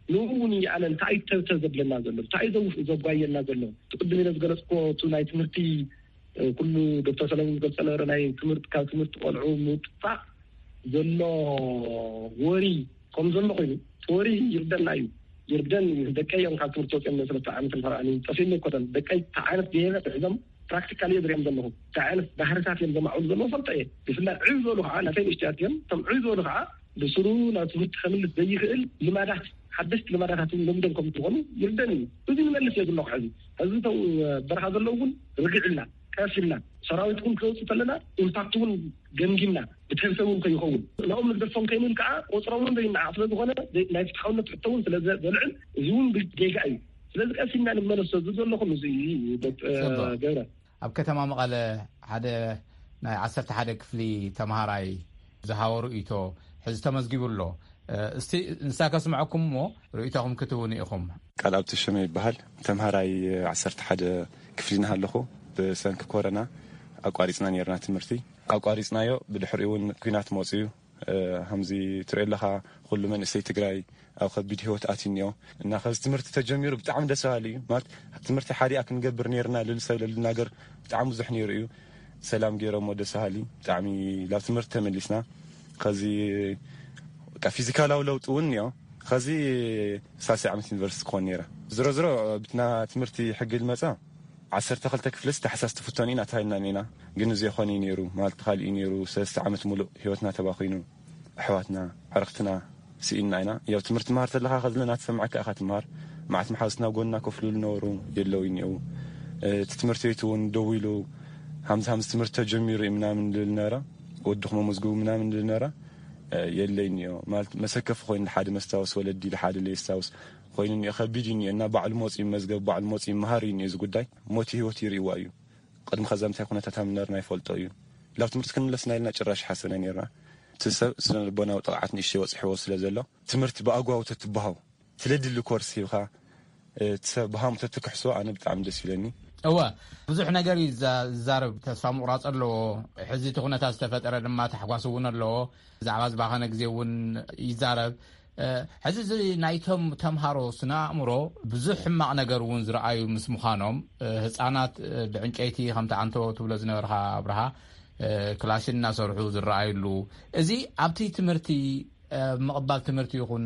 ንኡ እውን ይኣለ እንታይ እዩ ተብተብ ዘብለና ዘሎ? እንታይ እዩ ዘጓየና ዘሎ? እቲ ቅድም ኢለ ዝገለፅኩዎ፣ እቲ ናይ ትምህርቲ፣ ኩሉ ዶክተር ሰለሙን ዝገልፀ ነበረ፣ ናይ ትምህርቲ፣ ካብ ትምህርቲ ቆልዑ ምውፃእ ዘሎ ወሪ ከም ዘሎ ኮይኑ፣ እቲ ወሪ ይርደና እዩ። ይርደን እዩ። ደቀይ እዮም ካብ ትምህርቲ ወፂኦም፣ ሰለስተ ዓመት ንፈርዓኒ ጠፊእኒ ኣይኮነን። ደቀይ እንታይ ዓይነት ብሄር ሒዞም ፕራክቲካል እየ ዝሪኦም ዘለኹ። እንታይ ዓይነት ባህርታት እዮም ዘማዕብሉ ዘለዉ ፈልጠ እየ። ብፍላይ ዕብ ዝበሉ ከዓ፣ ናተይ ንእሽትያት እዮም፣ እቶም ዕብ ዝበሉ ከዓ ብስሩ ናብ ትምህርቲ ከምልስ ዘይኽእል ልማዳት፣ ሓደሽቲ ልማዳታት እውን ለምዶም ከም ዝኾኑ ይርደን እዩ። እዚ ንመልስ እየ ዘለኹ። ሕዚ ሕዚ እቶም በረኻ ዘለዉ እውን ርግዕ ኢልና፣ ቀስ ኢልና፣ ሰራዊት እውን ክወፁ ከለና ኢምፓክት እውን ገምጊምና፣ ብተንሰ እውን ከይኸውን፣ ናኦም ንግደፎም ከይንብል ከዓ ቆፅሮም እውን ዘይነዓቕ ስለ ዝኾነ፣ ናይ ፍትሓውነት ሕቶ እውን ስለ ዘልዕል፣ እዚ እውን ጌጋ እዩ። ስለዚ ቀስ ኢልና ንመለሶ። እዚ ዘለኹም እዚ እዩ። ገብረ፣ ኣብ ከተማ መቐለ ሓደ ናይ ዓሰርተ ሓደ ክፍሊ ተምሃራይ ዝሃቦ ርእይቶ ሕዚ ተመዝጊቡ ኣሎ። እስቲ ንሳ ከስምዐኩም እሞ ርእይቶኹም ክትህቡኒ ኢኹም። ቃል ኣብ ተሸመ ይበሃል። ተምሃራይ ዓሰርተ ሓደ ክፍሊ እናሃለኹ ብሰንኪ ኮረና ኣቋሪፅና ነርና ትምህርቲ። ኣቋሪፅናዮ፣ ብድሕሪኡ እውን ኲናት መፅዩ። ከምዚ ትሪኦ ኣለኻ፣ ኩሉ መንእሰይ ትግራይ ኣብ ከቢድ ህይወት ኣትዩ እኒኦ። እና ከዚ ትምህርቲ ተጀሚሩ ብጣዕሚ ደስ በሃሊ እዩ። ማለት ትምህርቲ ሓዲኣ ክንገብር ነርና፣ ልል ሰብ ለልናገር ብጣዕሚ ብዙሕ ነይሩ እዩ። ሰላም ገይሮሞ፣ ደስ በሃሊ፣ ብጣዕሚ ላብ ትምህርቲ ተመሊስና። ከዚ በቃ ፊዚካላዊ ለውጢ እውን እኒኦ። ከዚ ሳልሳይ ዓመት ዩኒቨርሲቲ ክኾን ነይረ። ዝሮ ዝሮ ብትና ትምህርቲ ሕጊ ልመፃ ዓሰርተ ክልተ ክፍልስ ታሕሳስ ትፍተኑ ኢና ተባሂልና ኢና። ግን እዚ ኣይኮነ እዩ ነይሩ። ማለት ካልእ እዩ ነይሩ። ሰለስተ ዓመት ሙሉእ ህይወትና ተባኺኑ። ኣሕዋትና፣ ዕርኽትና ስኢንና ኢና። ያው ትምህርቲ ትምሃር ተለኻ ከዚ ናትሰምዐካ ኢኻ ትምሃር። መዓት መሓዙትና ጎንና ኮፍ ልብሉ ነበሩ፣ የለው እኒአው። እቲ ትምህርቲ ቤት እውን ደው ኢሉ፣ ሃምዚ ሃምዚ ትምህርቲ ተጀሚሩ እዩ ምናምን ልብል ነበረ። ወድኹም ኣመዝግቡ ምናምን ልብል ነበረ። የለይ እኒኦ። ማለት መሰከፊ ኮይኑ፣ ሓደ መስታወስ ወለዲ፣ ሓደ ለየስታውስ ኮይኑ እኒኦ። ከቢድ እዩ እኒኦ። እና ባዕሉ መፂኡ መዝገብ፣ ባዕሉ መፂኡ መሃር እዩ እኒኦ። እዚ ጉዳይ ሞት ህይወት ይርእይዋ እዩ። ቅድሚ ከዛ እንታይ ኩነታት ኣብ ነበርና ይፈልጦ እዩ። ላብ ትምህርቲ ክንምለስና ኢልና ጭራሽ ሓሰብና ነርና። እቲ ሰብ ስነ ልቦናዊ ጥቕዓት ንእሽተይ በፂሕዎ ስለ ዘሎ፣ ትምህርቲ ብኣግባቡ ተትበሃው፣ ስለድሊ ኮርስ ሂብካ፣ እቲ ሰብ ብሃሙ ተትክሕሶ ኣነ ብጣዕሚ ደስ ይብለኒ። እወ፣ ብዙሕ ነገር እዩ ዝዛ- ዝዛረብ። ተስፋ ምቑራፅ ኣለዎ። ሕዚ እቲ ኩነታት ዝተፈጠረ ድማ ታሕጓስ እውን ኣለዎ። ብዛዕባ ዝባኸነ ግዜ እውን ይዛረብ። እ፣ ሕዚ እዚ ናይቶም ተምሃሮ ስነ ኣእምሮ ብዙሕ ሕማቕ ነገር እውን ዝረኣዩ ምስ ምዃኖም፣ እ፣ ህፃናት፣ እ፣ ብዕንጨይቲ ከምቲ ኣንቶ ትብሎ ዝነበርካ ኣብርሃ፣ እ፣ ክላሽን እናሰርሑ ዝረኣዩሉ፣ እዚ ኣብቲ ትምህርቲ፣ እ፣ ምቕባል ትምህርቲ ይኹን፣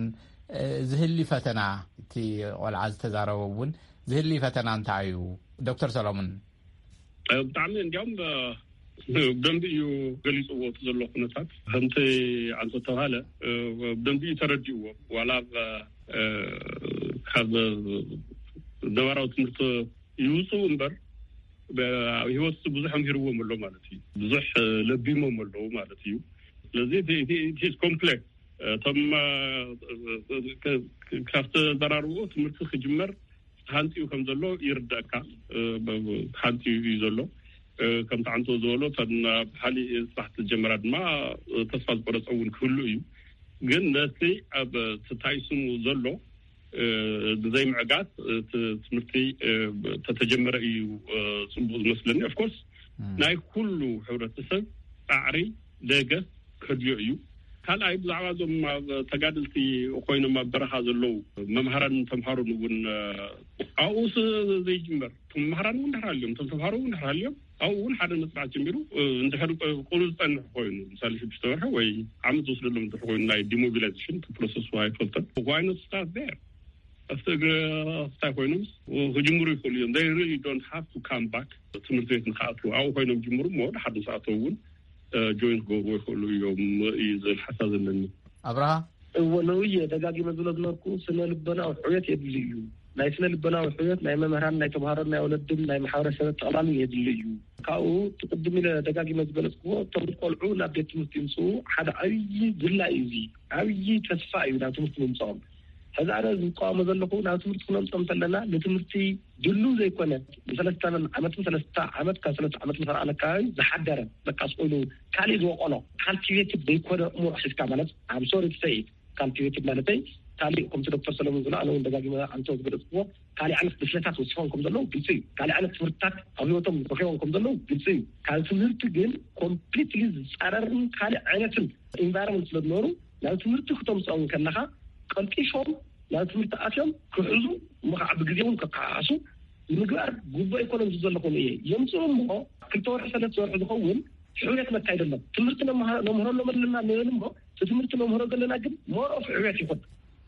እ፣ ዝህሊ ፈተና፣ እቲ ቆልዓ ዝተዛረበ እውን ዝህሊ ፈተና እንታይ እዩ? ዶክተር ሰሎሙን። እ፣ ብጣዕሚ እንዲያውም፣ እ፣ ብደንቢ እዩ ገሊፅዎ እቲ ዘሎ ኩነታት። ከምቲ ኣንቶ ተባሃለ፣ እ፣ ብደንቢ እዩ ተረዲእዎ። ዋላ ኣብ፣ እ፣ ካብ ነባራዊ ትምህርቲ ይውፅኡ እምበር፣ ብ- ኣብ ህይወት ብዙሕ ኣምሂርዎም ኣሎ ማለት እዩ። ብዙሕ፣ እ፣ ለቢሞም ኣለዉ ማለት እዩ። ስለዚ እቲ- እቲ- እቲ ኮምፕሌክስ፣ እቶም፣ እ፣ እ፣ እ፣ እ፣ ካብ ተዘራርቦ ትምህርቲ ክጅመር ተሃንጥዩ ከም ዘሎ ይርዳእካ። እ፣ ብ- ብ- ተሃንጥዩ እዩ ዘሎ። እ፣ ከምቲ ዓንቶ ዝበሎ፣ እተን ኣብ ሓሊ ስራሕ ተጀመራ ድማ፣ እ፣ ተስፋ ዝቆረፀ እውን ክህሉ እዩ። ግን ነቲ ኣብ ተታይስሙ ዘሎ፣ እ፣ ንዘይምዕጋት፣ እ፣ ት- ትምህርቲ፣ እ፣ ተተጀመረ እዩ፣ እ፣ ፅቡቅ ዝመስለኒ። ኦፍኮርስ ናይ ኩሉ ሕብረተሰብ ፃዕሪ፣ ደገፍ ከድልዮ እዩ። ካልኣይ፣ ብዛዕባ እዞም ኣብ ተጋደልቲ ኮይኖም ኣብ በረኻ ዘለዉ መምሃራን ተምሃሮን እውን፣ እ፣ ኣብኡ ስ- ዘይጅመር፣ እቶም መምሃራን እውን ድሕር ሃልዮም፣ እቶም ተምሃሮ እውን ድሕር ሃልዮም፣ ኣብኡ እውን ሓደ መፅናዕቲ ጀሚሩ፣ እ፣ እንድሕር፣ እ፣ ቁሩብ ዝፀንሕ ኮይኑ፣ ምሳሌ ሽዱሽተ ወርሒ ወይ ዓመት ዝወስደሎም እንድሕር ኮይኑ፣ ናይ ዲሞቢላይዜሽን ፕሮሰስ ኣይፈልጠን። Why not start there? ኣብቲ እግሪ ኣፍታይ ኮይኖም ክጅምሩ ይኽእሉ እዮም። They really don't have to come back ትምህርቲ ቤት ንክኣትዉ። ኣብኡ ኮይኖም ጅምሩ እሞ፣ ድሓር ምስ ኣተዉ እውን፣ እ፣ ጆይን ክገብሩ ይኽእሉ እዮም እዩ ዝብል ሓሳብ ዘለኒ። ኣብርሃ። እወ፣ ነውየ ደጋጊመ ዝብሎ ዝነበርኩ፣ ስነ ልቦናዊ ሕውየት የድሊ እዩ። ናይ ስነ ልቦናዊ ሕውየት ናይ መምህራን፣ ናይ ተምሃሮን፣ ናይ ወለድን፣ ናይ ማሕበረሰብ ጠቕላሊ የድሊ እዩ። ካብኡ፣ እቲ ቅድም ኢለ ደጋጊመ ዝገለጽኩዎ፣ እቶም ቆልዑ ናብ ቤት ትምህርቲ ይምፅኡ ሓደ ዓብዪ ድላይ እዩ። እዚ ዓብዪ ተስፋ እዩ ናብ ትምህርቲ ምምፅኦም። ሕዚ ኣነ ዝቃወሞ ዘለኹ፣ ናብ ትምህርቲ ክነምፅኦም እንተለና፣ ንትምህርቲ ድልው ዘይኮነ፣ ንሰለስተ ዓመትን ሰለስተ ዓመት፣ ካብ ሰለስተ ዓመት ንፈርኣን ኣካባቢ ዝሓደረ፣ በቃ ስቆይሉ ካሊእ ዝወቀሎ፣ ካልቲቬትድ ዘይኮነ እሙር ሒዝካ፣ ማለት፣ I'm sorry to say it፣ ካልቲቬትድ ማለተይ፣ ካሊእ ከምቲ ዶክተር ሰለሙን ዝብሎ፣ ኣነ እውን ደጋጊመ ኣንቶ ዝገለፅኩዎ፣ ካሊእ ዓይነት ብስለታት ወሲኾም ከም ዘለዉ ግልፂ እዩ። ካሊእ ዓይነት ትምህርትታት ኣብ ህይወቶም ረኺቦም ከም ዘለዉ ግልፂ እዩ። ካብ ትምህርቲ ግን ኮምፕሊትሊ ዝፃረርን ካሊእ ዓይነትን ኢንቫይሮንመንት ስለ ዝነበሩ፣ ናብ ትምህርቲ ክተምፅኦም ከለኻ፣ ቀልጢፎም ናብ ትምህርቲ ኣትዮም ክሕዙ፣ እሞ ከዓ ብግዜ እውን ከከሓሓሱ ምግባር ግቡእ ኣይኮነን ዝብል ዘለኹ እየ። የምፅኡ እሞ፣ ክልተ ወርሒ፣ ሰለስተ ወርሒ ዝኸውን ሕውየት መካየደሎም። ትምህርቲ ነምሃ- ነምህረሎም ኣለና ንብል እሞ፣ እቲ ትምህርቲ ነምህሮ ዘለና ግን ሞር ኦፍ ሕውየት ይኹን።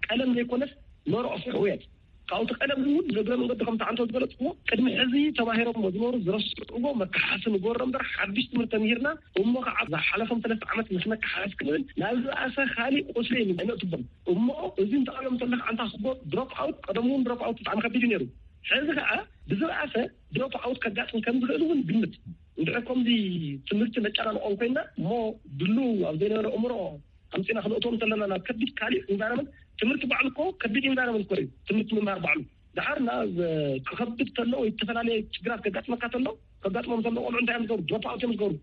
ቀለም ዘይኮነስ ሞር ኦፍ ሕውየት። ካብኡ እቲ ቀለም እውን ንእግረ መንገዲ ከምቲ ዓንቶ ዝገለፅዎ፣ ቅድሚ ሕዚ ተማሂሮሞ ዝነበሩ ዝረስዕዎ መከሓሲ ንገበሮ እምበር፣ ሓድሽ ትምህርቲ ተምሂርና እሞ ከዓ ዝሓለፎም ሰለስተ ዓመት ምስ መከሓሲ ክንብል ናብ ዝኣሰ ካሊእ ቁስሊ ኣይነእትቦም። እሞ እዚ እንተቐሪቦም እንተለካ ዓንታ ክቦ ድሮፕ ኣውት፣ ቀደም እውን ድሮፕ ኣውት ብጣዕሚ ከቢድ እዩ ነይሩ። ሕዚ ከዓ ብዝበኣሰ ድሮፕ ኣውት ከጋጥም ከም ዝኽእል እውን ግምት። እንድሕር ከምዚ ትምህርቲ ነጨናንቆም ኮይና እሞ ድሉ ኣብ ዘይነበረ እምሮ ኣምፂና ክነእትዎም እንተለና ናብ ከቢድ ካሊእ ኢንቫይሮመንት፣ ትምህርቲ ባዕሉ እኮ ከቢድ ኢንቫይሮመንት እኮ እዩ። ትምህርቲ ምምሃር ባዕሉ ደሓር ና ዘ- ክኸብድ ከሎ ወይ ዝተፈላለየ ችግራት ከጋጥመካ ከሎ፣ ከጋጥሞም ከሎ ቆልዑ እንታይ እዮም ዝገብሩ? ድሮፕ ኣውት እዮም ዝገብሩ።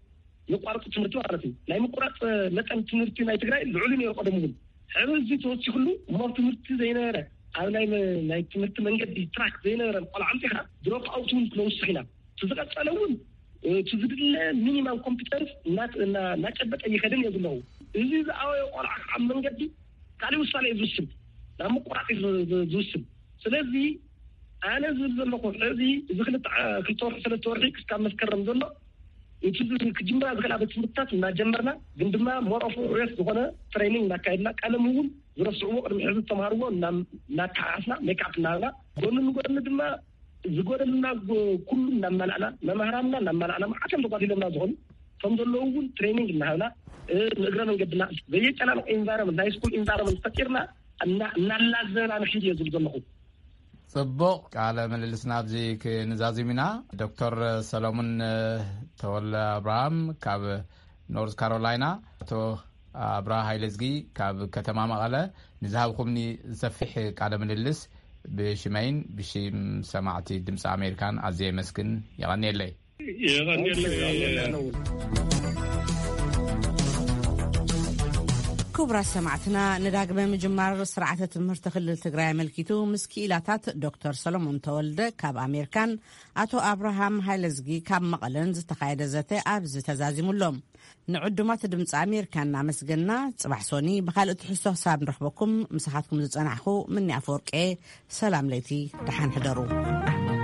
የቋርጡ ትምህርቲ ማለት እዩ። ናይ ምቁራፅ መጠን ትምህርቲ ናይ ትግራይ ልዑል እዩ ነይሩ ቀደም እውን። ሕዚ እዚ ተወሲኽሉ እሞ ኣብ ትምህርቲ ዘይነበረ፣ ኣብ ናይ መ- ናይ ትምህርቲ መንገዲ ትራክ ዘይነበረ ቆልዓ ኣምፂኻ ድሮፕ ኣውት እውን ክነውስኽ ኢና። እቲ ዝቐፀለ እውን እቲ ዝድለ ሚኒማም ኮምፒተንስ እና- እና- እናጨበጠ ይኸድን እየ ዘለኹ። እዚ ዝኣወየ ቆልዓ ኣብ መንገዲ ካልእ ውሳነ እዩ ዝውስን፣ ናብ ምቁራፅ እዩ ዝ- ዝ- ዝውስን። ስለዚ ኣነ ዝብል ዘለኹ ሕዚ እዚ ክልተ ዓ- ክልተ ወርሒ ሰለስተ ወርሒ ክስካብ መስከረም ዘሎ እቲ ዝ- ክጅምራ ዝኽእላ ቤት ትምህርትታት እናጀመርና፣ ግን ድማ ሞር ኦፍ ዕውየት ዝኾነ ትሬኒንግ እናካየድና፣ ቀለም እውን ዝረስዕዎ ቅድሚ ሕዚ ዝተምሃርዎ እና- እናተሓሓስና ሜክኣፕ እናሃብና፣ ጎኒ ንጎኒ ድማ ዝጎደልና ጎ- ኩሉ እናመላእና፣ መምህራንና እናመላእና፣ መዓት እዮም ተጓዲሎምና ዝኾኑ፣ ከም ዘለዉ እውን ትሬኒንግ እናሃብና፣ እ፣ ንእግረ መንገድና ዘየጨናንቕ ኢንቫይሮመንት፣ ናይ ስኩል ኢንቫይሮመንት ፈጢርና እና- እናላዘና ንኺድ እየ ዝብል ዘለኹ። ጽቡቕ፣ ቃለ ምልልስና ኣብዚ ክንዛዝም ኢና። ዶክተር ሰሎሙን ተወልደ ኣብርሃም ካብ ኖርዝ ካሮላይና፣ ኣቶ ኣብርሃ ሃይለዝጊ ካብ ከተማ መቐለ፣ ንዝሃብኩምኒ ሰፊሕ ቃለ ምልልስ ብሽመይን ብሽም ሰማዕቲ ድምፂ ኣሜሪካን ኣዝየ የመስግን። የቐንየለይ። የቐንየለይ። ክቡራት ሰማዕትና፣ ንዳግመ ምጅማር ስርዓተ ትምህርቲ ክልል ትግራይ ኣመልኪቱ ምስ ክኢላታት ዶክተር ሰሎሞን ተወልደ ካብ ኣሜሪካን ኣቶ ኣብርሃም ሃይለዝጊ ካብ መቐለን ዝተኻየደ ዘተ ኣብዚ ተዛዚሙ ኣሎ። ንዕዱማት ድምፂ ኣሜሪካ እናመስገና፣ ፅባሕ ሶኒ ብኻልእ ትሕዝቶ ክሳብ ንረኽበኩም ምሳኻትኩም ዝፀናሕኹ ምኒ ኣፈወርቄ፣ ሰላም ለይቲ፣ ደሓን ሕደሩ።